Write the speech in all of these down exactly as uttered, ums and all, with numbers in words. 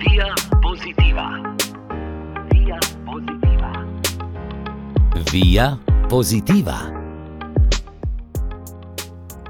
Via Positiva. Via Positiva. Via Positiva.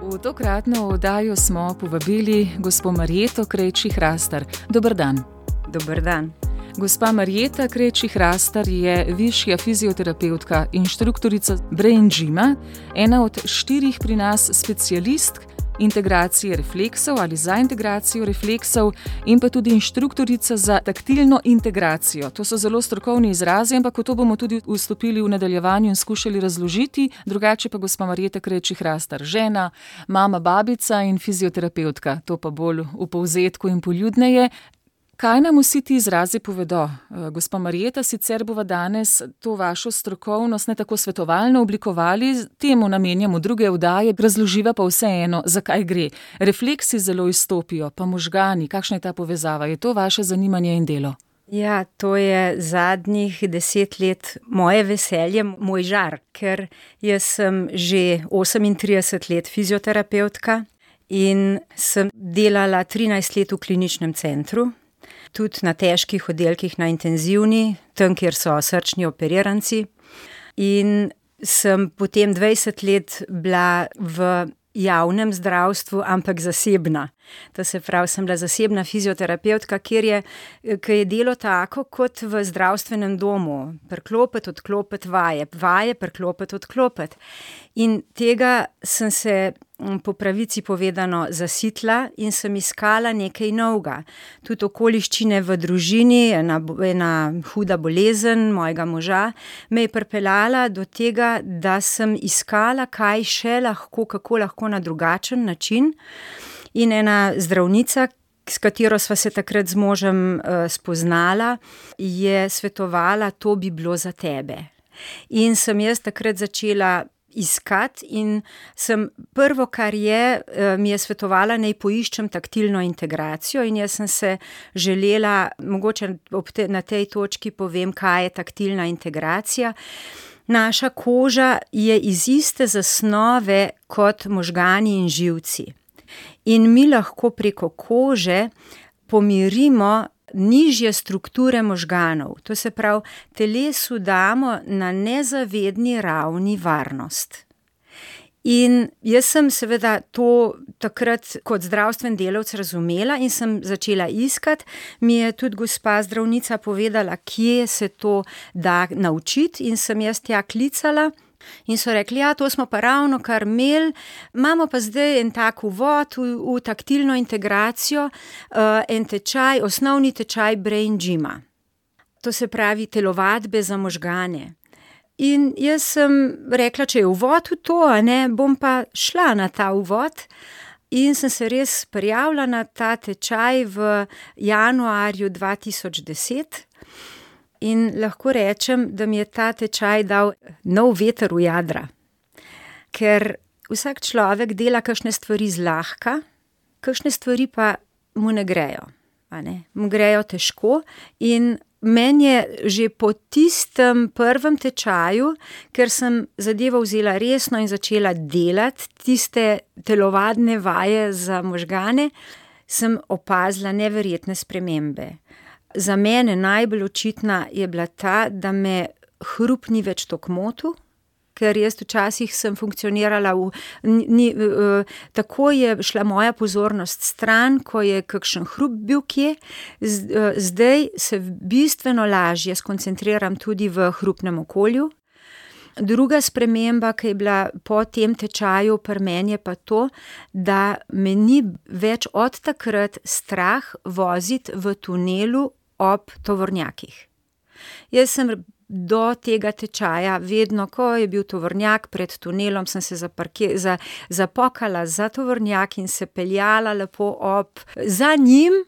V tokratno oddajo smo povabili gospo Marjeto Krejči-Hrastar. Dober dan. Dober dan. Gospa Marjeta Krejči-Hrastar je višja fizioterapevtka, inštruktorica Brain Gyma, ena od štirih pri nas specialistk integracije refleksov ali za integracijo refleksov in pa tudi inštruktorica za taktilno integracijo. To so zelo strokovni izrazi, ampak v to bomo tudi vstopili v nadaljevanju in skušali razložiti. Drugače pa gospa Marjeta Krejči-Hrastar, žena, mama, babica in fizioterapevtka. To pa bolj v povzetku in poljudneje. Kaj nam vsi ti izrazi povedo? Gospa Marjeta, sicer bova danes to vašo strokovnost ne tako svetovalno oblikovali, temu namenjamo druge oddaje, razloživa pa vseeno, zakaj gre. Refleksi zelo izstopijo, pa možgani, kakšna je ta povezava? Je to vaše zanimanje in delo? Ja, to je zadnjih deset let moje veselje, moj žar, ker jaz sem že osemintrideset let fizioterapevtka in sem delala trinajst let v kliničnem centru. Tudi na težkih oddelkih, na intenzivni, tam, kjer so srčni operiranci. In sem potem dvajset let bila v javnem zdravstvu, ampak zasebna. To se pravi, sem bila zasebna fizioterapevtka, kjer je, kjer je delo tako kot v zdravstvenem domu. Priklopiti, odklopiti, vaje, vaje, priklopiti, odklopiti. In tega sem se po pravici povedano zasitla in sem iskala nekaj novega. Tudi okoliščine v družini, ena, ena huda bolezen mojega moža, me je pripeljala do tega, da sem iskala, kaj še lahko, kako lahko na drugačen način. In ena zdravnica, s katero sva se takrat z možem uh, spoznala, je svetovala, to bi bilo za tebe. In sem jaz takrat začela iskati in sem prvo, kar je, mi je svetovala, naj poiščem taktilno integracijo in jaz sem se želela, mogoče te, na tej točki povem, kaj je taktilna integracija. Naša koža je iz iste zasnove kot možgani in živci. In mi lahko preko kože pomirimo nižje strukture možganov. To se pravi, telesu damo na nezavedni ravni varnost. In jaz sem seveda to takrat kot zdravstven delavec razumela in sem začela iskati. Mi je tudi gospa zdravnica povedala, kje se to da naučiti in sem jaz tja klicala. In so rekli, ja, to smo pa ravno kar imeli, imamo pa zdaj en tak uvod v, v taktilno integracijo, uh, en tečaj, osnovni tečaj Brain Gyma. To se pravi telovadbe za možgane. In jaz sem rekla, če je uvod v to, a ne, bom pa šla na ta uvod. In sem se res prijavila na ta tečaj v januarju dva tisoč deset. In lahko rečem, da mi je ta tečaj dal nov veter v jadra. Ker vsak človek dela kakšne stvari zlahka, kakšne stvari pa mu ne grejo. A ne? Mu grejo težko in meni je že po tistem prvem tečaju, ker sem zadevo vzela resno in začela delati tiste telovadne vaje za možgane, sem opazila neverjetne spremembe. Za mene najbolj očitna je bila ta, da me hrup ni več toliko motil, ker jaz včasih sem funkcionirala v, ni, uh, tako je šla moja pozornost stran, ko je kakšen hrup bil kje, Z, uh, zdaj se bistveno lažje skoncentriram tudi v hrupnem okolju. Druga sprememba, ki je bila po tem tečaju pri meni, je pa to, da me ni več od takrat strah voziti v tunelu ob tovornjakih. Jaz sem do tega tečaja vedno, ko je bil tovornjak pred tunelom, sem se zaparke, za, zapokala za tovornjak in se peljala lepo ob za njim,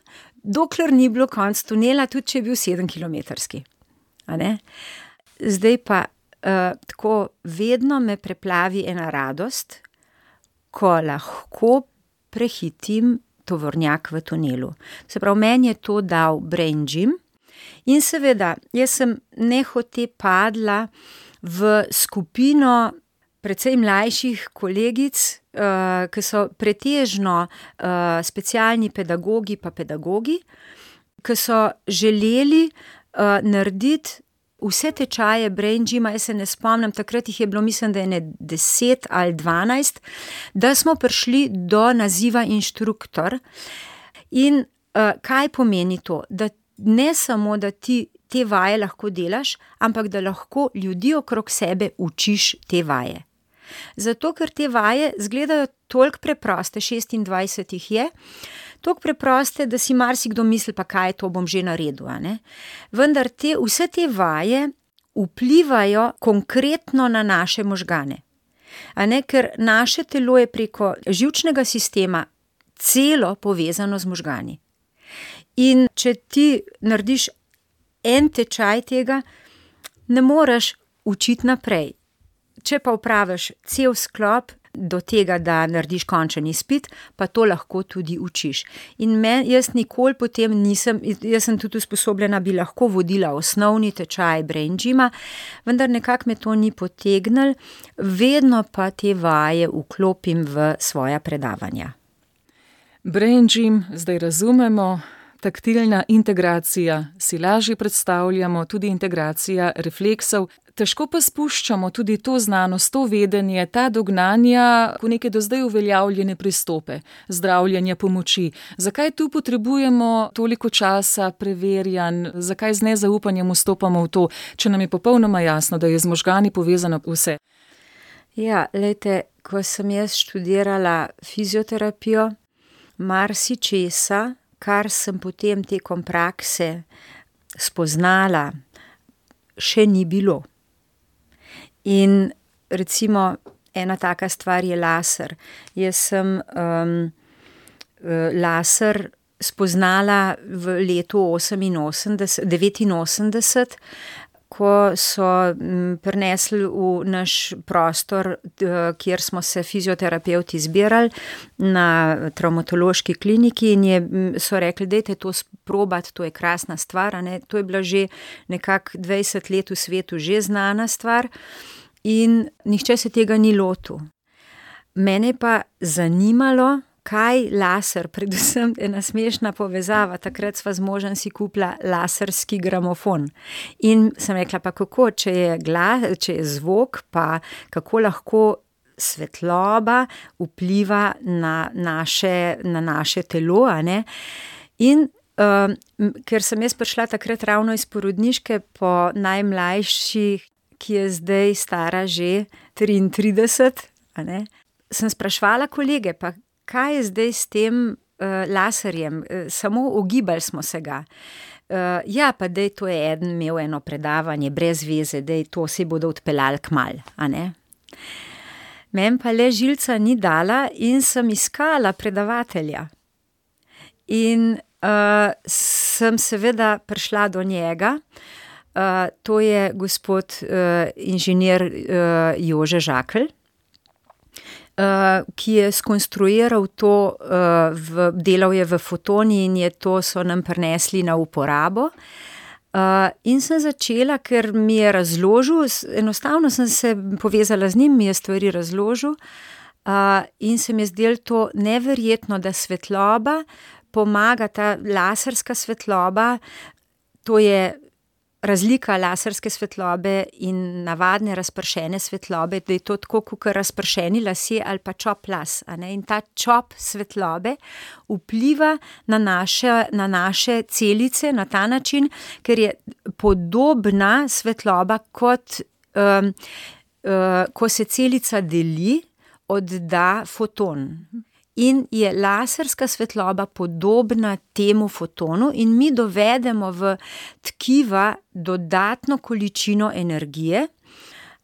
dokler ni bilo konc tunela, tudi če je bil sedemkilometrski. A ne? Zdaj pa uh, tako vedno me preplavi ena radost, ko lahko prehitim tovornjak v tunelu. Se pravi, meni je to dal Brain Gym in seveda, jaz sem nehote padla v skupino precej mlajših kolegic, uh, ki so pretežno uh, specialni pedagogi pa pedagogi, ki so želeli uh, narediti vse tečaje Brain Gyma, jaz se ne spomnim, takrat jih je bilo, mislim, da je ne deset ali dvanajst, da smo prišli do naziva inštruktor. In uh, kaj pomeni to? Da ne samo, da ti te vaje lahko delaš, ampak da lahko ljudi okrog sebe učiš te vaje. Zato, ker te vaje izgledajo toliko preproste, šestindvajset jih je, toliko preproste, da si marsikdo misli, pa kaj to bom že naredil, a ne. Vendar te, vse te vaje vplivajo konkretno na naše možgane. A ne, ker naše telo je preko živčnega sistema celo povezano z možgani. In če ti narediš en tečaj tega, ne moreš učiti naprej. Če pa opraviš cel sklop do tega, da narediš končen izpit, pa to lahko tudi učiš. In men, jaz nikoli potem nisem, jaz sem tudi usposobljena, bi lahko vodila osnovni tečaj Brain Gyma, vendar nekako me to ni potegnilo, vedno pa te vaje vklopim v svoja predavanja. Brain Gym zdaj razumemo, taktilna integracija si lažje predstavljamo, tudi integracija refleksov. Težko pa spuščamo tudi to znanost, to vedenje, ta dognanja v neke do zdaj uveljavljene pristope, zdravljenja pomoči. Zakaj tu potrebujemo toliko časa, preverjanj, zakaj z nezaupanjem vstopamo v to, če nam je popolnoma jasno, da je z možgani povezano vse? Ja, lejte, ko sem jaz študirala fizioterapijo, marsičesa, kar sem potem tekom prakse spoznala, še ni bilo. In recimo ena taka stvar je laser. Jaz sem um, laser spoznala v letu oseminosemdeset, devetinosemdeset, ko so prinesli v naš prostor, kjer smo se fizioterapevti zbirali na travmatološki kliniki in je, so rekli, dajte to sprobati, to je krasna stvar, a ne? To je bila že nekako dvajset let v svetu že znana stvar in nihče se tega ni lotil. Mene pa zanimalo, kaj laser, predvsem ena smešna povezava, takrat sva z možem si kupila laserski gramofon. In sem rekla, pa kako, če je glas, če je zvok, pa kako lahko svetloba vpliva na naše, na naše telo, a ne? In um, ker sem jaz prišla takrat ravno iz porodniške po najmlajši, ki je zdaj stara že triintrideset, a ne? Sem sprašvala kolege, pa kaj je zdaj s tem uh, laserjem, uh, samo ogibali smo se ga. Uh, ja, pa dej, to je eden imel eno predavanje, brez veze, dej, to se bodo odpeljali kmalu, a ne. Meni pa le žilca ni dala in sem iskala predavatelja. In uh, sem seveda prišla do njega, uh, to je gospod uh, inženir uh, Jože Žakelj, Uh, ki je skonstruiral to, uh, v, delal je v Fotoni in je to so nam prinesli na uporabo. Uh, in sem začela, ker mi je razložil, enostavno sem se povezala z njim, mi je stvari razložil uh, in se mi je zdelo to neverjetno, da svetloba pomaga, ta laserska svetloba, to je razlika laserske svetlobe in navadne razpršene svetlobe, da je to tako, kot razpršeni lasje ali pa čop las, a ne? In ta čop svetlobe vpliva na naše, na naše celice na ta način, ker je podobna svetloba, kot um, uh, ko se celica deli, odda foton. In je laserska svetloba podobna temu fotonu in mi dovedemo v tkiva dodatno količino energije,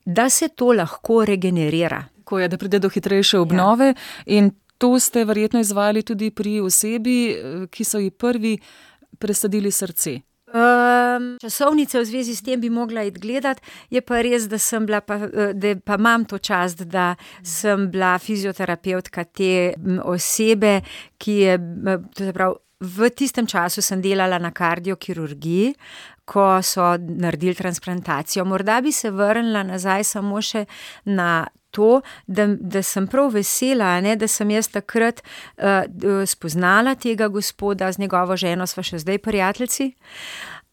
da se to lahko regenerira. Ko je, da pride do hitrejše obnove, ja. In to ste verjetno izvajali tudi pri osebi, ki so ji prvi presadili srce. Um, časovnice v zvezi s tem bi mogla iti gledat, je pa res, da sem bila, pa, da pa imam to čast, da sem bila fizioterapevtka te osebe, ki je, to se pravi, v tistem času sem delala na kardiokirurgiji, ko so naredili transplantacijo. Morda bi se vrnila nazaj samo še na to, da, da sem prav vesela, ne, da sem jaz takrat uh, spoznala tega gospoda, z njegovo ženo sva še zdaj prijateljici,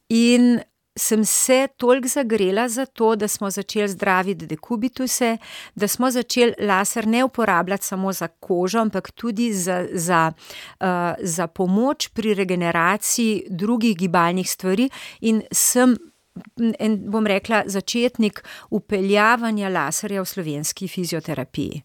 in sem se toliko zagrela za to, da smo začeli zdraviti dekubituse, da smo začeli laser ne uporabljati samo za kožo, ampak tudi za, za, uh, za pomoč pri regeneraciji drugih gibalnih stvari, in sem, en, bom rekla, začetnik vpeljavanja laserja v slovenski fizioterapiji.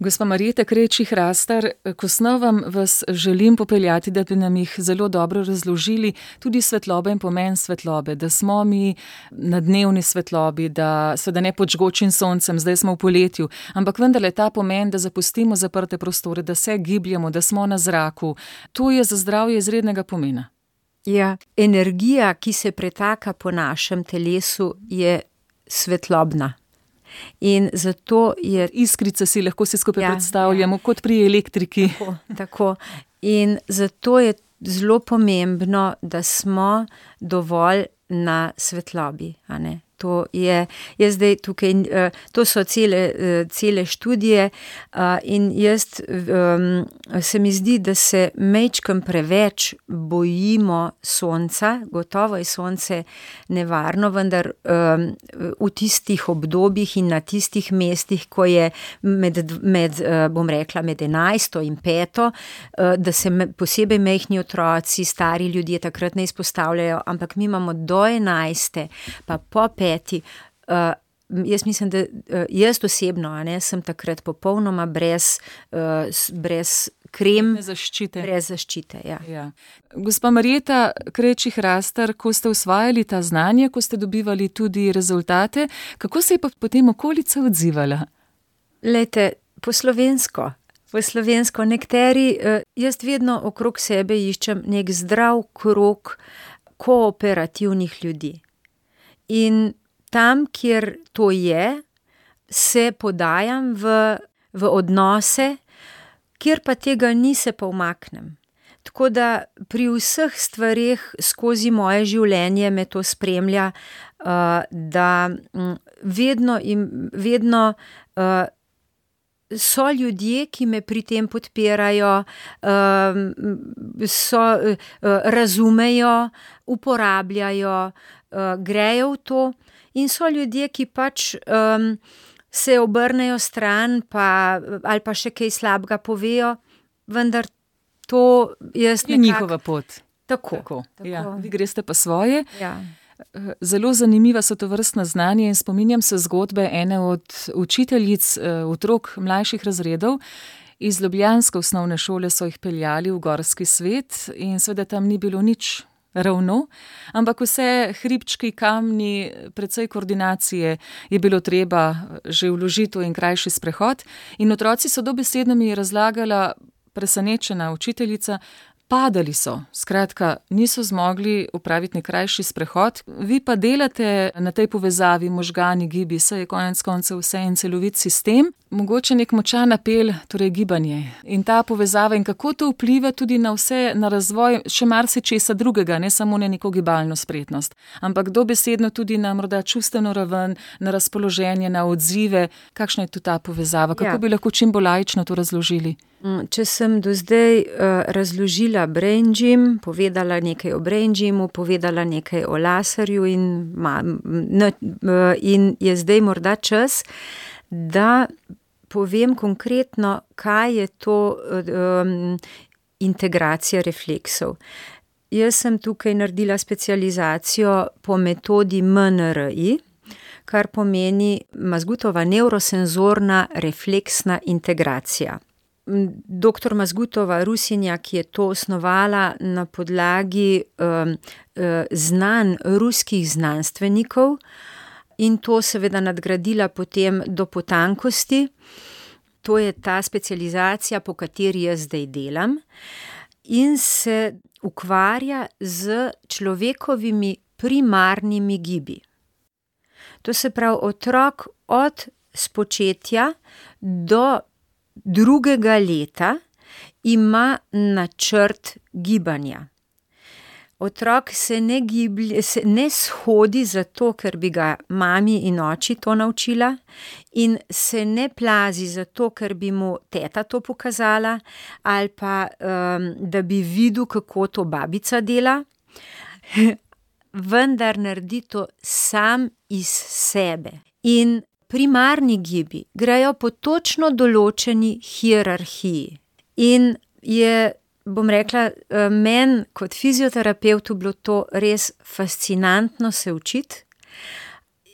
Gospa Marjeta Krejčih-Rastar, k osnovam vas želim popeljati, da bi nam jih zelo dobro razložili, tudi svetlobe in pomen svetlobe, da smo mi na dnevni svetlobi, da seveda ne pod žgočim soncem, zdaj smo v poletju, ampak vendarle ta pomen, da zapustimo zaprte prostore, da se gibljamo, da smo na zraku, to je za zdravje izrednega pomena. Ja, energija, ki se pretaka po našem telesu, je svetlobna. In zato je... Iskrice si lahko se skupaj ja, predstavljamo, ja. kot pri elektriki. Tako, tako. In zato je zelo pomembno, da smo dovolj na svetlobi, a ne. To je, jaz zdaj tukaj, to so cele, cele študije, in jaz, se mi zdi, da se majčkeno preveč bojimo sonca, gotovo je sonce nevarno, vendar v tistih obdobjih in na tistih mestih, ko je med, med, bom rekla, med enajsto in peto, da se posebej majhni otroci, stari ljudje takrat ne izpostavljajo, ampak mi imamo do enajste, pa po peti. Uh, jaz mislim, da uh, jaz osebno, a ne, sem takrat popolnoma brez, uh, brez krem, brez zaščite. Brez zaščite, ja. Ja. Gospa Marjeta Krejčih-Rastar, ko ste usvajali ta znanje, ko ste dobivali tudi rezultate, kako se je pa potem okolica odzivala? Lejte, po slovensko. Po slovensko nekateri, uh, jaz vedno okrog sebe iščem nek zdrav krog kooperativnih ljudi. In tam, kjer to je, se podajam v, v odnose, kjer pa tega ni, se pa umaknem. Tako da pri vseh stvareh skozi moje življenje me to spremlja, uh, da um, vedno, im, vedno uh, so ljudje, ki me pri tem podpirajo, uh, so, uh, razumejo, uporabljajo, uh, grejo v to, in so ljudje, ki pač um, se obrnejo stran, pa, ali pa še kaj slabega povejo, vendar to jaz nekako... Je njihova pot. Tako. Tako. Tako. Ja, vi greste pa svoje. Ja. Zelo zanimiva so to vrstna znanja in spominjam se zgodbe ene od učiteljic otrok mlajših razredov. Iz ljubljanske osnovne šole so jih peljali v gorski svet in seveda tam ni bilo nič ravno, ampak vse hribčki, kamni, precej koordinacije je bilo treba že vložiti in krajši sprehod. In otroci so dobesedno mi razlagala, presenečena učiteljica, padali so, skratka, niso zmogli upraviti nek krajši sprehod. Vi pa delate na tej povezavi možgani, gibi, saj je konec koncev vse en celovit sistem, mogoče nek močan apel, torej gibanje. In ta povezava in kako to vpliva tudi na vse, na razvoj še marsičesa drugega, ne samo na neko gibalno spretnost, ampak dobesedno tudi na morda čustveno raven, na razpoloženje, na odzive. Kakšna je tu ta povezava? Kako ja. bi lahko čim bolj laično to razložili? Če sem do zdaj uh, razložila brain gym, povedala nekaj o brain gymu, povedala nekaj o laserju in, ma, n, uh, in je zdaj morda čas, da povem konkretno, kaj je to um, integracija refleksov. Jaz sem tukaj naredila specializacijo po metodi M N R I, kar pomeni Mazgutova neurosenzorna refleksna integracija. Doktor Mazgutova Rusinja, ki je to osnovala na podlagi um, znanj ruskih znanstvenikov in to seveda nadgradila potem do potankosti. To je ta specializacija, po kateri jaz zdaj delam in se ukvarja z človekovimi primarnimi gibi. To se pravi otrok od spočetja do drugega leta ima načrt gibanja. Otrok se ne giblje, se ne shodi zato, ker bi ga mami in oči to naučila, in se ne plazi zato, ker bi mu teta to pokazala, ali pa um, da bi videl, kako to babica dela, vendar naredi to sam iz sebe. In primarni gibi grejo po točno določeni hierarhiji. In je, bom rekla, meni kot fizioterapevtu bilo to res fascinantno se učiti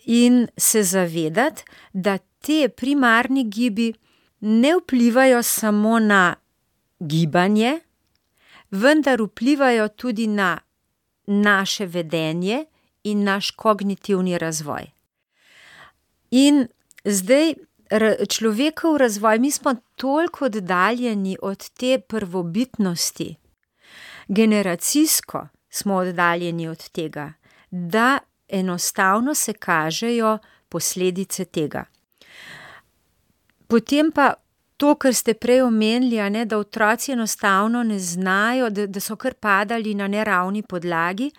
in se zavedati, da te primarni gibi ne vplivajo samo na gibanje, vendar vplivajo tudi na naše vedenje in naš kognitivni razvoj. In zdaj človekov razvoj, mi smo toliko oddaljeni od te prvobitnosti, generacijsko smo oddaljeni od tega, da enostavno se kažejo posledice tega. Potem pa to, kar ste prej omenili, a ne, da otroci enostavno ne znajo, da, da so kar padali na neravni podlagi,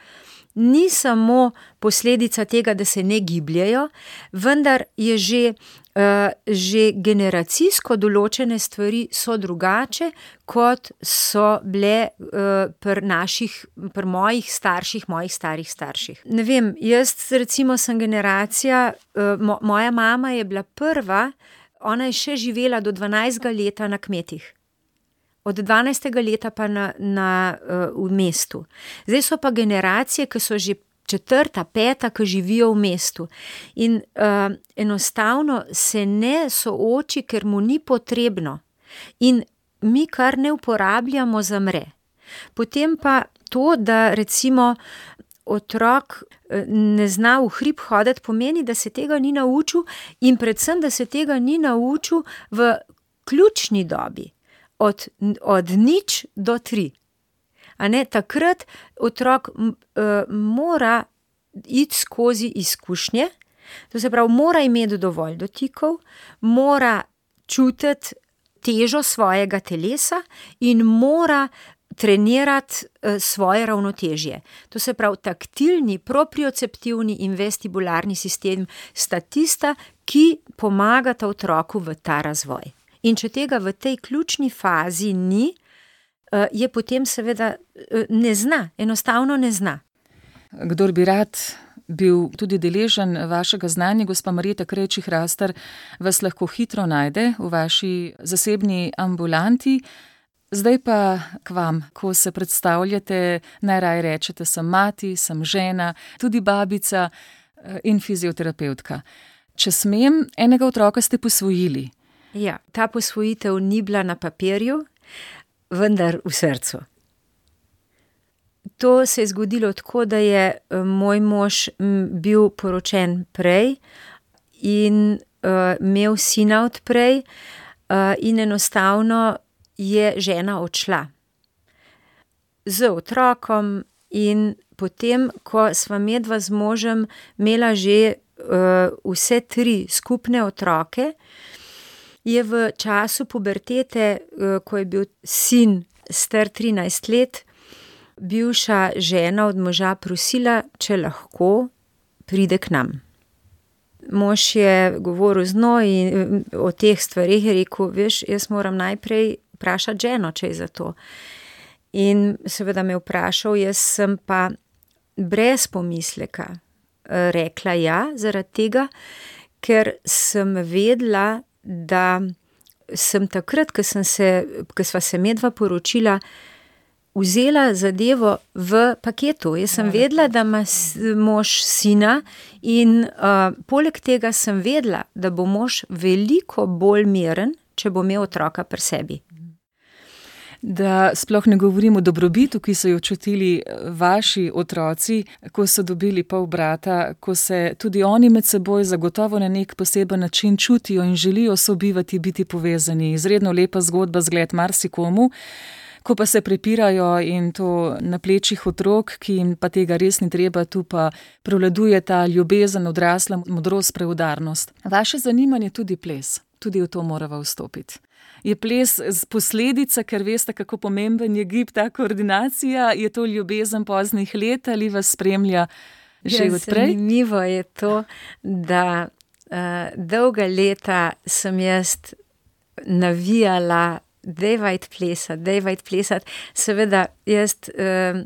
ni samo posledica tega, da se ne gibljejo, vendar je že, uh, že generacijsko določene stvari so drugače, kot so bile uh, pri naših, pri mojih starših, mojih starih starših. Ne vem, jaz recimo sem generacija, uh, mo, moja mama je bila prva, ona je še živela do dvanajstega leta na kmetih. Od dvanajstega leta pa na, na, uh, v mestu. Zdaj so pa generacije, ki so že četrta, peta, ki živijo v mestu. In uh, enostavno se ne sooči, ker mu ni potrebno. In mi kar ne uporabljamo, zamre. Potem pa to, da recimo otrok ne zna v hrib hoditi, pomeni, da se tega ni naučil in predvsem, da se tega ni naučil v ključni dobi. Od, od nič do tri. A ne, takrat otrok uh, mora iti skozi izkušnje, to se pravi, mora imeti dovolj dotikov, mora čutiti težo svojega telesa in mora trenirati uh, svoje ravnotežje. To se pravi, taktilni, proprioceptivni in vestibularni sistem sta tista, ki pomagata otroku v ta razvoj. In če tega v tej ključni fazi ni, je potem seveda ne zna, enostavno ne zna. Kdor bi rad bil tudi deležen vašega znanja, gospa Marjeta Krejčih-Hrastar, vas lahko hitro najde v vaši zasebni ambulanti. Zdaj pa k vam, ko se predstavljate, najraje rečete, sem mati, sem žena, tudi babica in fizioterapevtka. Če smem, enega otroka ste posvojili. Ja, ta posvojitev ni bila na papirju, vendar v srcu. To se je zgodilo tako, da je moj mož bil poročen prej in uh, imel sina od prej uh, in enostavno je žena odšla z otrokom in potem, ko sva medva z možem imela že uh, vse tri skupne otroke, je v času pubertete, ko je bil sin star trinajst let, bivša žena od moža prosila, če lahko pride k nam. Mož je govoril z njo in o teh stvarih je rekel, veš, jaz moram najprej vprašati ženo, če je za to. In seveda me vprašal, jaz sem pa brez pomisleka rekla ja, zaradi tega, ker sem vedela, da sem takrat, ko sem se, ko sva se medva poročila, vzela zadevo v paketu. Jaz sem vedela, da ima mož sina in uh, poleg tega sem vedela, da bo mož veliko bolj miren, če bo imel otroka pri sebi. Da sploh ne govorim o dobrobitu, ki so jo čutili vaši otroci, ko so dobili pol brata, ko se tudi oni med seboj zagotovo na nek poseben način čutijo in želijo sobivati, biti povezani. Izredno lepa zgodba, zgled marsikomu, ko pa se prepirajo in to na plečih otrok, ki jim pa tega res ni treba, tu pa prevladuje ta ljubezen, odrasla modrost, preudarnost. Vaše zanimanje tudi ples, tudi v to morava vstopiti. Je ples posledica, ker veste, kako pomemben je gib, ta koordinacija? Je to ljubezen poznih let ali vas spremlja že odprej? Zanimivo je to, da uh, dolga leta sem jaz navijala, dejvajt plesati, dejvajt plesati. Seveda, jaz uh,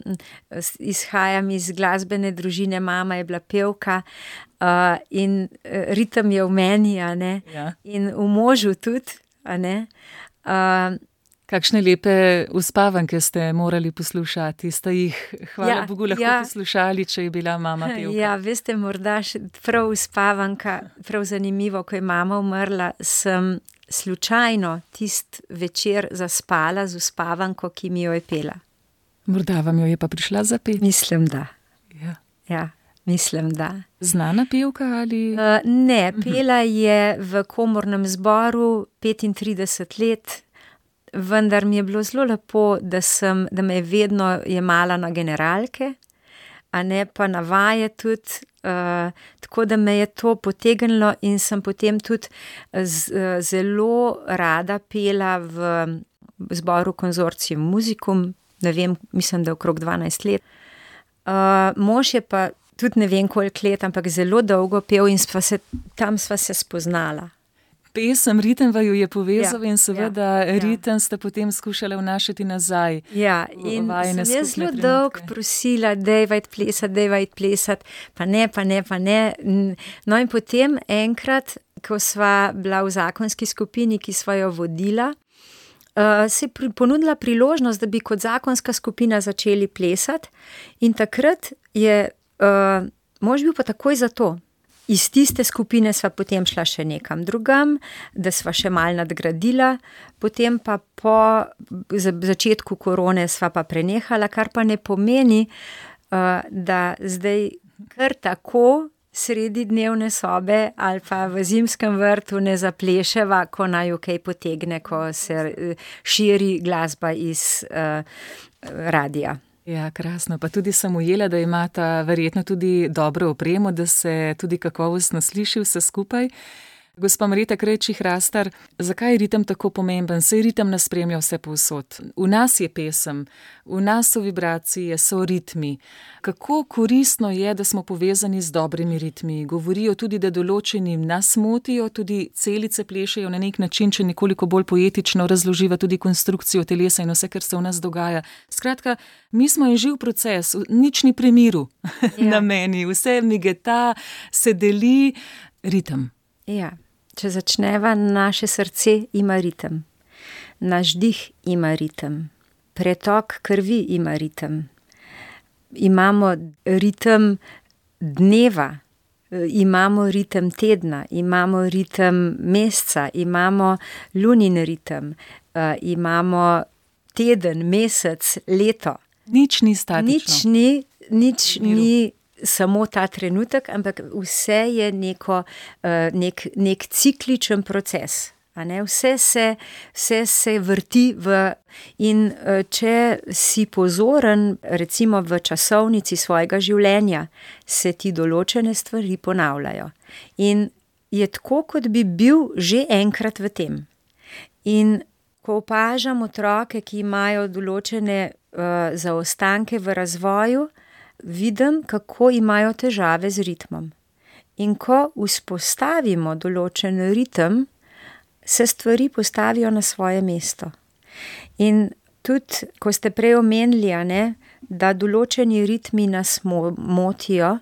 izhajam iz glasbene družine, mama je bila pevka uh, in ritem je v meni, a ne, Ja. in v možu tudi, a ne. Uh, Kakšne lepe uspavanke ste morali poslušati, ste jih, hvala Ja, Bogu, lahko ja. poslušali, če je bila mama pevka. Ja, veste, morda še prav uspavanka, prav zanimivo, ko je mama umrla, sem slučajno tist večer zaspala z uspavanko, ki mi jo je pela. Morda vam jo je pa prišla zapeti. Mislim, da. Ja. Ja, mislim, da. Znana pevka ali? Uh, ne, pela je v komornem zboru petintrideset let, vendar mi je bilo zelo lepo, da, sem, da me je vedno jemala na generalke, a ne pa na vaje tudi, uh, tako da me je to potegnilo in sem potem tudi z, uh, zelo rada pela v zboru Konzorcium Musicum, ne vem, mislim, da okrog dvanajst let. Uh, mož je pa tudi ne vem koliko let, ampak zelo dolgo pel in sva se, tam sva se spoznala. Pesem, ritem vaju je povezal Ja, in seveda ja, ja. ritem ste potem skušali vnašati nazaj. Ja, v in vajine sem jaz skupne zelo dolgo trenutke. prosila, dejvajt plesati, dejvajt plesati, pa ne, pa ne, pa ne. No in potem enkrat, ko sva bila v zakonski skupini, ki sva jo vodila, uh, se je pri- ponudila priložnost, da bi kot zakonska skupina začeli plesati in takrat je uh, mož bil pa takoj za to. Iz tiste skupine sva potem šla še nekam drugam, da sva še mal nadgradila, potem pa po za- začetku korone sva pa prenehala, kar pa ne pomeni, uh, da zdaj kar tako sredi dnevne sobe ali pa v zimskem vrtu ne zapleševa, ko naju kaj potegne, ko se eh, širi glasba iz uh, radija. Ja, krasno. Pa tudi sem ujela, da imata verjetno tudi dobro opremo, da se tudi kakovostno sliši vse skupaj. Gospa Marjeta Krajčih-Rastar, zakaj je ritem tako pomemben? Saj ritem nas spremlja vse povsod. V nas je pesem, v nas so vibracije, so ritmi. Kako koristno je, da smo povezani z dobrimi ritmi? Govorijo tudi, da določeni nas motijo, tudi celice plešejo na nek način, če nekoliko bolj poetično razloživa tudi konstrukcijo telesa in vse, kar se v nas dogaja. Skratka, mi smo en živ proces, nič ni pri miru Ja. na meni, vse migeta, se deli, ritem. Ja, če začneva, naše srce ima ritem, naš dih ima ritem, pretok krvi ima ritem. Imamo ritem dneva, imamo ritem tedna, imamo ritem meseca, imamo lunin ritem, uh, imamo teden, mesec, leto. Nič ni statično. Nič ni, nič V miru. ni samo ta trenutek, ampak vse je neko, uh, nek, nek cikličen proces. A ne? Vse, se, vse se vrti v, in uh, če si pozoren, recimo v časovnici svojega življenja, se ti določene stvari ponavljajo. In je tako, kot bi bil že enkrat v tem. In ko opažam otroke, ki imajo določene uh, zaostanke v razvoju, vidim, kako imajo težave z ritmom. In ko vzpostavimo določen ritem, se stvari postavijo na svoje mesto. In tudi, ko ste prej omenili, a ne, da določeni ritmi nas mo- motijo,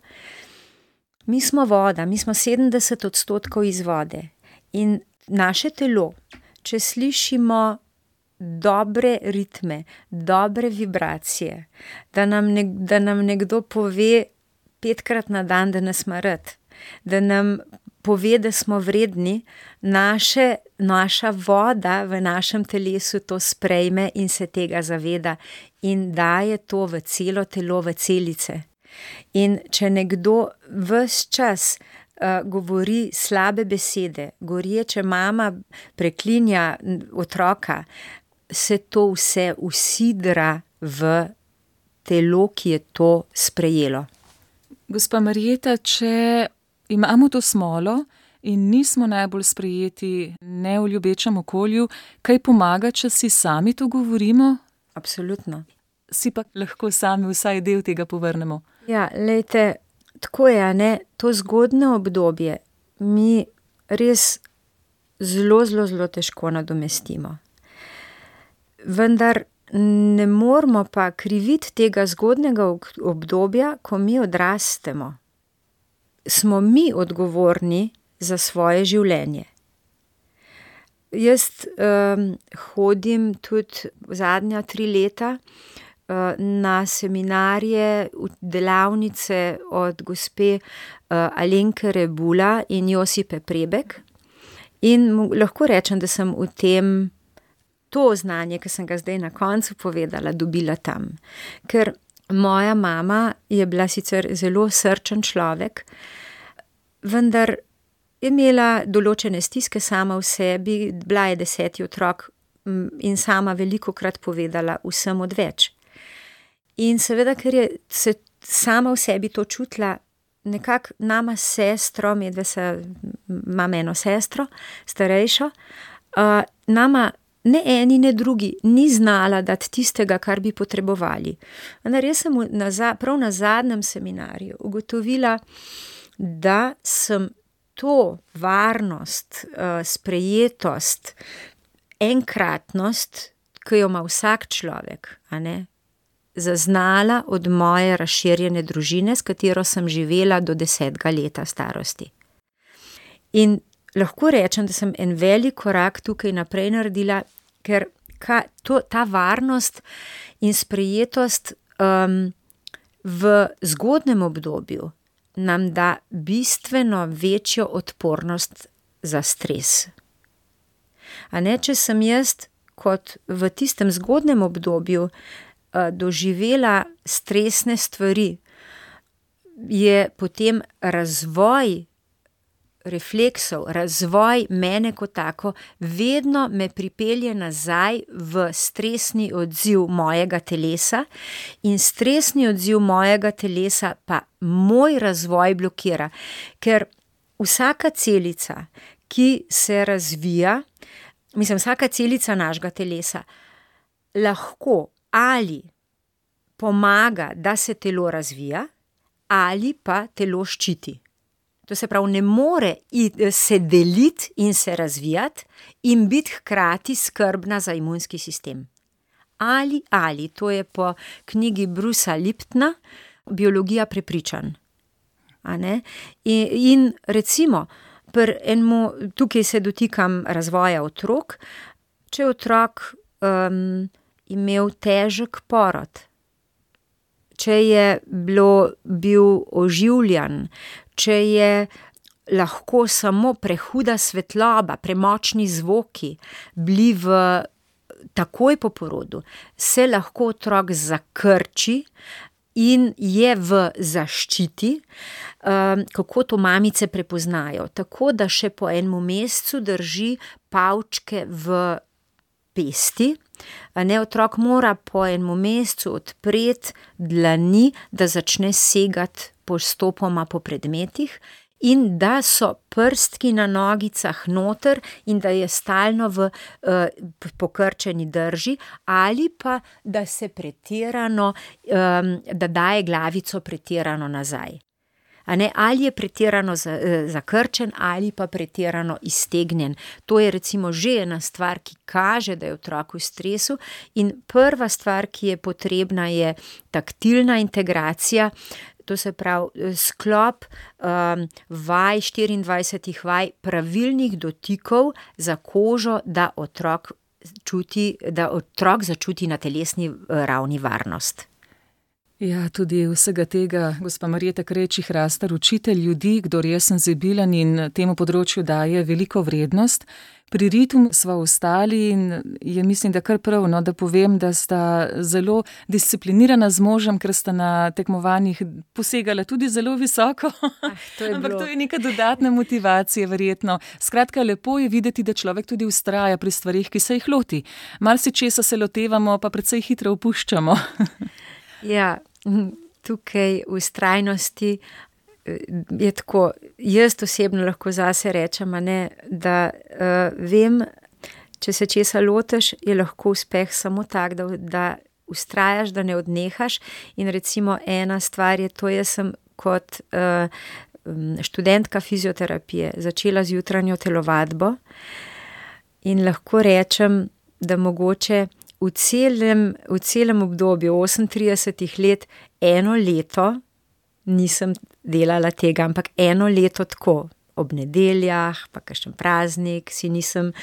mi smo voda, mi smo sedemdeset odstotkov iz vode. In naše telo, če slišimo dobre ritme, dobre vibracije, da nam, nek, da nam nekdo pove petkrat na dan, da nas ima rad, da nam pove, da smo vredni, naše, naša voda v našem telesu to sprejme in se tega zaveda in daje to v celo telo, v celice. In če nekdo ves čas uh, govori slabe besede, gorječe mama preklinja otroka, se to vse usidra v telo, ki je to sprejelo. Gospa Marjeta, če imamo to smolo in nismo najbolj sprejeti ne v ljubečem okolju. Kaj pomaga, če si sami to govorimo? Absolutno. Si pa lahko sami vsaj del tega povrnemo. Ja, lejte, tako je, ne, to zgodnje obdobje mi res zelo, zelo, zelo težko nadomestimo. Vendar ne moramo pa kriviti tega zgodnjega obdobja, ko mi odrastemo. Smo mi odgovorni za svoje življenje. Jaz um, hodim tudi zadnja tri leta uh, na seminarje, delavnice od gospe uh, Alenke Rebula in Josipe Prebek in lahko rečem, da sem v tem to znanje, ki sem ga zdaj na koncu povedala, dobila tam. Ker moja mama je bila sicer zelo srčen človek, vendar je imela določene stiske sama v sebi, bila je deseti otrok in sama velikokrat povedala vsem odveč. In seveda, ker je se sama v sebi to čutila, nekako nama sestro, medve se, imam eno sestro, starejšo, uh, nama ne eni, ne drugi ni znala dati tistega, kar bi potrebovali. Vendar jaz sem na, prav na zadnjem seminarju ugotovila, da sem to varnost, sprejetost, enkratnost, ki jo ima vsak človek, a ne, zaznala od moje razširjene družine, s katero sem živela do desetega leta starosti. In lahko rečem, da sem en velik korak tukaj naprej naredila, ker ka, to, ta varnost in sprejetost um, v zgodnem obdobju nam da bistveno večjo odpornost za stres. A ne, če sem jaz kot v tistem zgodnem obdobju uh, doživela stresne stvari, je potem razvoj refleksov, razvoj mene kot tako, vedno me pripelje nazaj v stresni odziv mojega telesa in stresni odziv mojega telesa pa moj razvoj blokira, ker vsaka celica, ki se razvija, mislim, vsaka celica našega telesa lahko ali pomaga, da se telo razvija, ali pa telo ščiti. To se pravi, ne more se deliti in se razvijati in biti hkrati skrbna za imunski sistem. Ali, ali, to je po knjigi Brucea Liptona, Biologija prepričanj. A ne? In, in recimo, pri enemu, tukaj se dotikam razvoja otrok, če je otrok um, imel težek porod, če je bilo, bil oživljan, če je lahko samo prehuda svetloba, premočni zvoki bili v takoj po porodu, se lahko otrok zakrči in je v zaščiti, um, kako to mamice prepoznajo. Tako da še po enem mesecu drži pavčke v pesti. Ne, otrok mora po enem mesecu odpreti dlani, da začne segati postopoma po predmetih in da so prstki na nogicah noter in da je stalno v uh, pokrčeni drži ali pa da se pretirano, um, da daje glavico pretirano nazaj. A ne, ali je pretirano zakrčen ali pa pretirano iztegnjen. To je recimo že ena stvar, ki kaže, da je otrok v stresu in prva stvar, ki je potrebna, je taktilna integracija, to se pravi sklop um, vaj, štiriindvajsetih vaj, pravilnih dotikov za kožo, da otrok čuti, da otrok začuti na telesni ravni varnost. Ja, tudi vsega tega gospa Marjeta Krejčih Hrastar, učitelj ljudi, kdor je senzibilen in temu področju daje veliko vrednost. Pri ritmu sva ostali in je mislim, da kar prav, no, da povem, da sta zelo disciplinirana z možem, ker sta na tekmovanjih posegala tudi zelo visoko. Ah, to je Ampak bilo. To je neka dodatna motivacija verjetno. Skratka, lepo je videti, da človek tudi vztraja pri stvarih, ki se jih loti. Marsičesa se lotevamo, pa precej hitro opuščamo. Ja, tukaj v vztrajnosti je tako, jaz osebno lahko zase rečem, a ne, da uh, vem, če se česa lotiš, je lahko uspeh samo tak, da, da vztrajaš, da ne odnehaš. In recimo ena stvar je to, jaz sem kot uh, študentka fizioterapije začela z jutranjo telovadbo in lahko rečem, da mogoče v celem, v celem obdobju osemintridesetih let eno leto nisem delala tega, ampak eno leto tako, ob nedeljah, pa kakšen praznik, si nisem,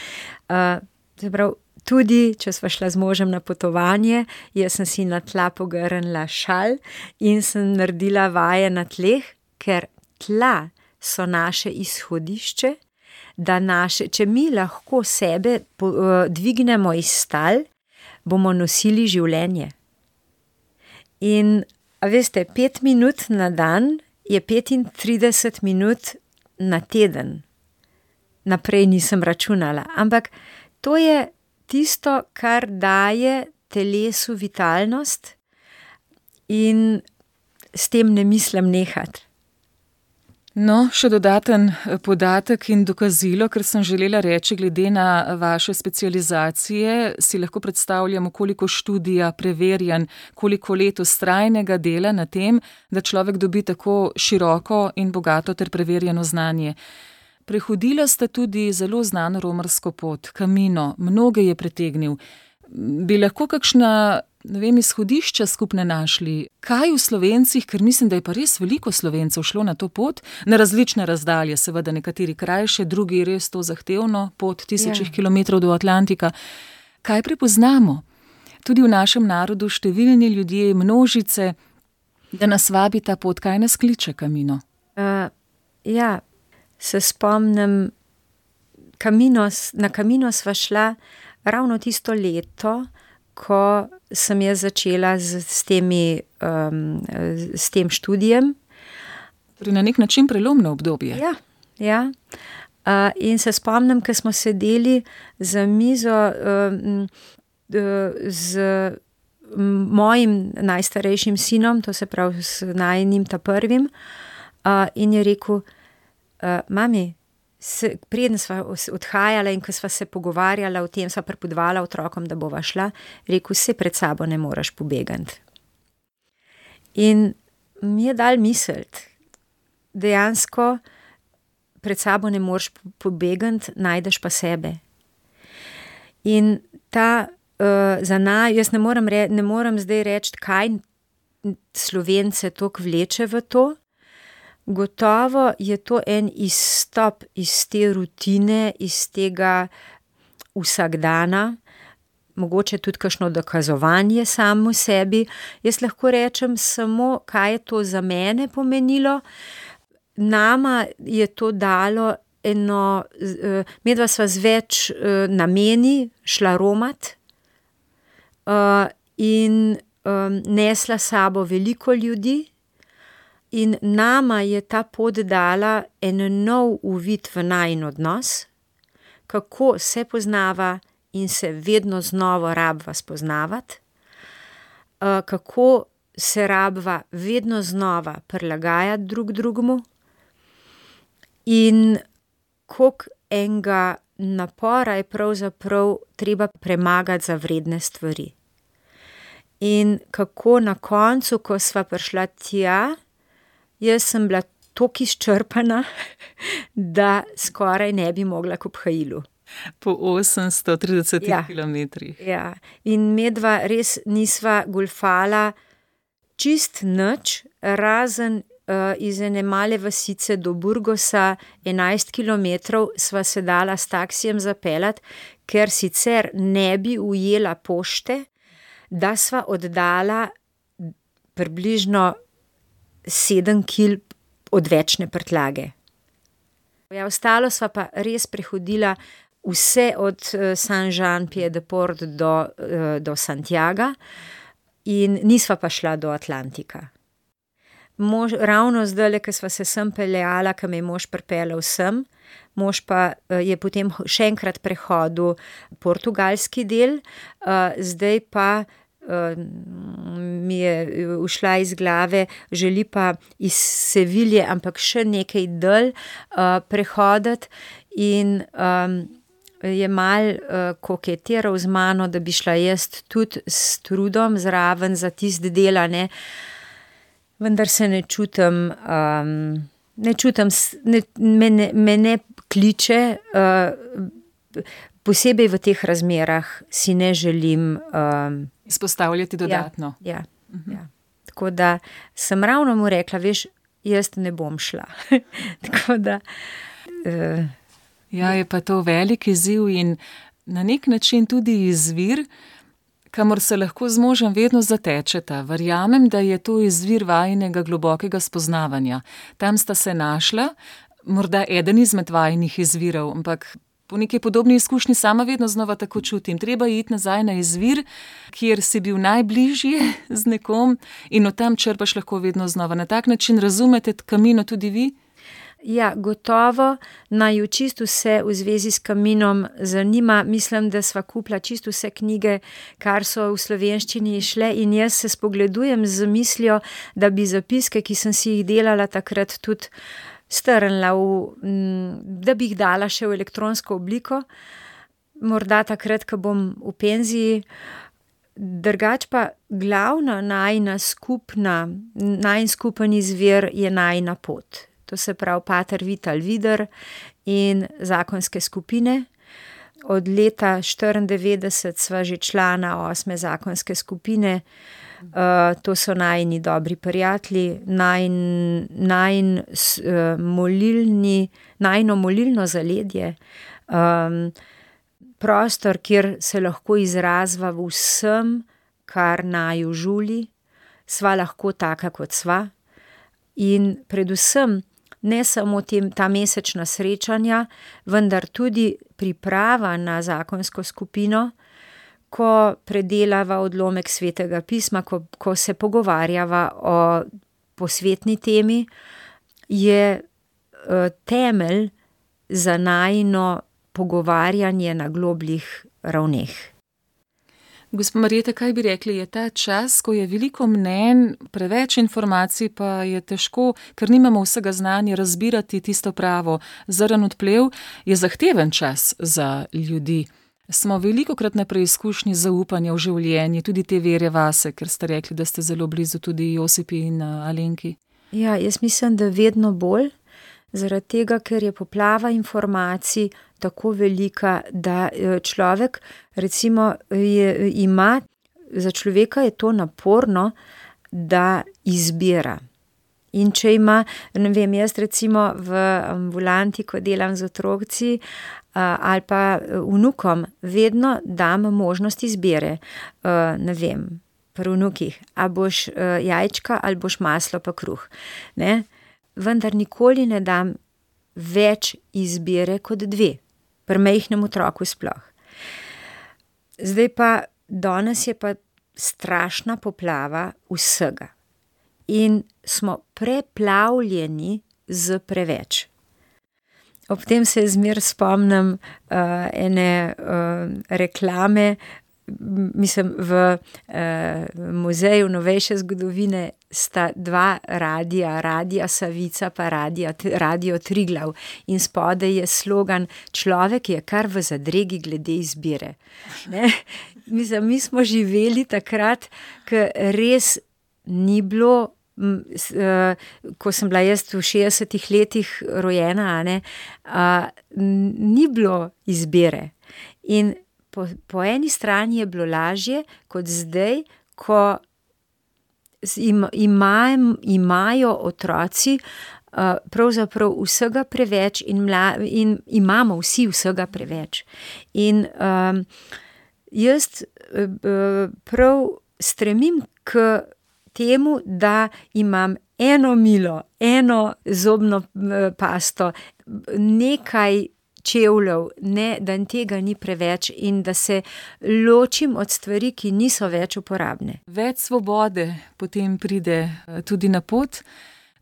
uh, zaprav, tudi, če sva šla z možem na potovanje, jaz sem si na tla pogrnila šal in sem naredila vaje na tleh, ker tla so naše izhodišče, da naše, če mi lahko sebe po, uh, dvignemo iz tal, bomo nosili življenje. In, a veste, pet minut na dan je petintrideset minut na teden. Naprej nisem računala, ampak to je tisto, kar daje telesu vitalnost in s tem ne mislim nehati. No, še dodaten podatek in dokazilo, ker sem želela reči, glede na vaše specializacije, si lahko predstavljamo, koliko študija, preverjanj, koliko let vztrajnega dela na tem, da človek dobi tako široko in bogato ter preverjeno znanje. Prehodila sta tudi zelo znano romarsko pot, Camino, mnoge je pritegnil. Bi lahko kakšna, ne vem, izhodišča skupne našli? Kaj v Slovencih, ker mislim, da je pa res veliko Slovencev šlo na to pot, na različne razdalje, seveda nekateri krajše, drugi res to zahtevno, pot tisočih ja. kilometrov do Atlantika. Kaj prepoznamo? Tudi v našem narodu številni ljudje, množice, da nas vabi ta pot. Kaj nas kliče Camino? Uh, ja, se spomnim, Camino, na Camino sva šla ravno tisto leto, ko sem jaz začela z, s, temi, um, s tem študijem. Torej na nek način prelomno obdobje. Ja, ja. Uh, in se spomnim, ko smo sedeli za mizo um, z mojim najstarejšim sinom, to se pravi s najinim ta prvim, uh, in je rekel, uh, mami, Se, preden sva odhajala in ko sva se pogovarjala o tem, sva pripovedovala otrokom, da bova šla, rekel, se pred sabo ne moreš pobegati. In mi je dal misliti, dejansko pred sabo ne moreš pobegati, najdeš pa sebe. In ta uh, za naj, jaz ne morem, re, ne morem zdaj reči, kaj Slovence toliko vleče v to. Gotovo je to en izstop iz te rutine, iz tega vsakdana, mogoče tudi kakšno dokazovanje samo sebi. Jaz lahko rečem samo, kaj je to za mene pomenilo. Nama je to dalo eno, medva sva z več nameni šla romat in nesla sabo veliko ljudi. In nama je ta pot dala en nov uvid v najin odnos, kako se poznava in se vedno znova rabva spoznavati, kako se rabva vedno znova prilagajati drug drugemu in koliko enega napora je pravzaprav treba premagati za vredne stvari. In kako na koncu, ko sva prišla tja, jaz sem bila toliko izčrpana, da skoraj ne bi mogla k obhajilu. Po osemsto tridesetih ja, kilometrih. Ja, in medva res nisva golfala čist nič, razen uh, iz ene male vasice do Burgosa, enajst kilometrov sva se dala s taksijem zapeljati, ker sicer ne bi ujela pošte, da sva oddala približno sedem kil odvečne prtljage. Ja, ostalo sva pa res prehodila vse od Saint-Jean-Pied-de-Port do, do Santiaga in nisva pa šla do Atlantika. Mož, ravno zdajle, ko sva se sem peljala, ko me je mož pripeljal sem, mož pa je potem še enkrat prehodil portugalski del, zdaj pa mi je ušla iz glave, želi pa iz Sevilje, ampak še nekaj dalj prehoditi in je mal koketiral z mano, da bi šla jaz tudi s trudom zraven za tisti del, ne. Vendar se ne čutim, ne čutim, ne, me, ne, me ne kliče, posebej v teh razmerah si ne želim izpostavljati dodatno. Ja, ja, uh-huh. ja. Tako da sem ravno mu rekla, veš, jaz ne bom šla. Tako da... Uh, ja, je pa to velik izziv in na nek način tudi izvir, kamor se lahko z možem vedno zatečeta. Verjamem, da je to izvir vajinega globokega spoznavanja. Tam sta se našla, morda eden izmed vajinih izvirov, ampak po neki podobni izkušnji sama vedno znova tako čutim. Treba iti nazaj na izvir, kjer si bil najbližje z nekom in od tam črpaš lahko vedno znova. Na tak način razumete Kamino tudi vi? Ja, gotovo, naju čisto vse v zvezi s Kaminom zanima. Mislim, da sva kupila čisto vse knjige, kar so v slovenščini šle in jaz se spogledujem z mislijo, da bi zapiske, ki sem si jih delala takrat tudi strnila, v, da bi jih dala še v elektronsko obliko. Morda takrat, ko bom v penziji. Drugač pa glavna najina skupna, najin skupen izvir je najina pot. To se pravi Pater Vital Vider in zakonske skupine. Od leta štiriindevetdeset sva že člana osme zakonske skupine. Uh, to so najini dobri prijatelji, najin, najin uh, molilni, najino molilno zaledje. Um, prostor, kjer se lahko izrazva v vsem, kar naju žuli. Sva lahko taka, kot sva. In predvsem ne samo tem, ta mesečna srečanja, vendar tudi priprava na zakonsko skupino, ko predelava odlomek Svetega pisma, ko, ko se pogovarjava o posvetni temi, je uh, temelj za najino pogovarjanje na globljih ravneh. Gospa Marjeta, kaj bi rekli, je ta čas, ko je veliko mnenj, preveč informacij, pa je težko, ker nimamo vsega znanja, razbirati tisto pravo. Zrn odplev je zahteven čas za ljudi. Smo velikokrat na preizkušnji zaupanja v življenje, tudi te vere vase, ker ste rekli, da ste zelo blizu tudi Josipi in Alenki. Ja, jaz mislim, da vedno bolj, zaradi tega, ker je poplava informacij tako velika, da človek recimo je, ima, za človeka je to naporno, da izbira. In če ima, ne vem, jaz recimo v ambulanti, ko delam z otroci ali pa vnukom, vedno dam možnost izbire. Ne vem, pri vnukih, a boš jajčka ali boš maslo pa kruh. Ne? Vendar nikoli ne dam več izbire kot dve, pri majhnem otroku sploh. Zdaj pa, danes je pa strašna poplava vsega. In smo preplavljeni z preveč. Ob tem se zmer spomnim uh, ene uh, reklame, mislim, v uh, muzeju novejše zgodovine sta dva radija, Radija Savica pa radija, Radio Triglav in spodaj je slogan: človek je kar v zadregi glede izbire. Ne? Mislim, mi smo živeli takrat, ko res ni bilo, ko sem bila jaz v šestdesetih letih rojena, ne, a, ni bilo izbire. In po, po eni strani je bilo lažje kot zdaj, ko im, imaj, imajo otroci a, pravzaprav vsega preveč in, mla, in imamo vsi vsega preveč. In a, jaz a, prav stremim k temu, da imam eno milo, eno zobno pasto, nekaj čevljev, ne, da tega ni preveč in da se ločim od stvari, ki niso več uporabne. Več svobode potem pride tudi na pot.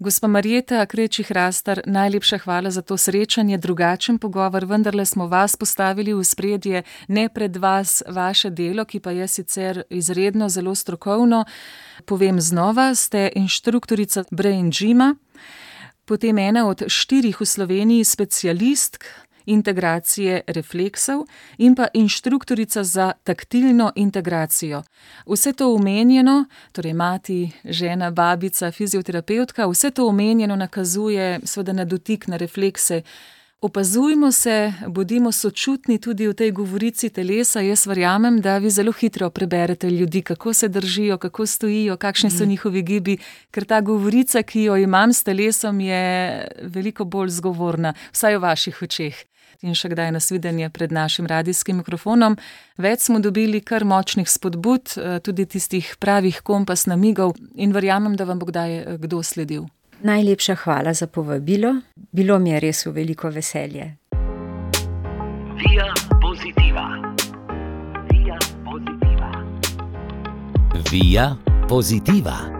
Gospa Marjeta Krečih Rastar, najlepša hvala za to srečanje, drugačen pogovor, vendarle smo vas postavili v ospredje, ne pred vas vaše delo, ki pa je sicer izredno zelo strokovno. Povem znova, ste inštruktorica Brain Gyma, potem ena od štirih v Sloveniji specialistk integracije refleksov in pa inštruktorica za taktilno integracijo. Vse to omenjeno, torej mati, žena, babica, fizioterapevtka, vse to omenjeno nakazuje seveda na dotik, na reflekse. Opazujmo se, bodimo sočutni tudi v tej govorici telesa. Jaz verjamem, da vi zelo hitro preberete ljudi, kako se držijo, kako stojijo, kakšni so njihovi gibi, ker ta govorica, ki jo imam s telesom, je veliko bolj zgovorna, vsaj v vaših očeh. In še kdaj nasvidenje pred našim radijskim mikrofonom. Več smo dobili kar močnih spodbud, tudi tistih pravih kompas namigov in verjamem, da vam bo kdaj kdo sledil. Najlepša hvala za povabilo. Bilo mi je res v veliko veselje. Via Positiva. Via Positiva. Via Positiva.